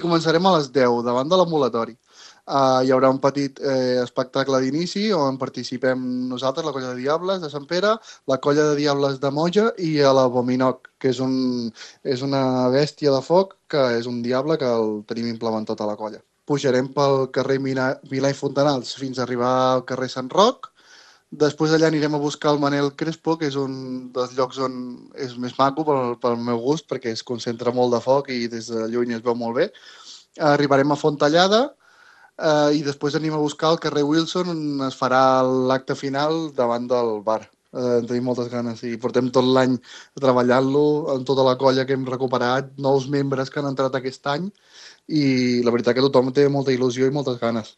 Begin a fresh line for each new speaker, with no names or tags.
Començarem a les 10 davant de l'ambulatori. Hi haurà un petit espectacle d'inici on participem nosaltres, la colla de Diables de Sant Pere, la colla de Diables de Moja i l'Abominoc, que és una bèstia de foc, que és un diable que el tenim implementat a la colla. Pujarem pel carrer Milà i Fontanals fins a arribar al carrer Sant Roc. Després allà anirem a buscar el Manel Crespo, que és un dels llocs on és més maco pel meu gust, perquè es concentra molt de foc i des de lluny es veu molt bé. Arribarem a Fontallada i després anem a buscar el carrer Wilson, on es farà l'acte final davant del bar. Tenim moltes ganes i portem tot l'any treballant-lo amb tota la colla que hem recuperat, nous membres que han entrat aquest any i la veritat que tothom té molta il·lusió i moltes ganes.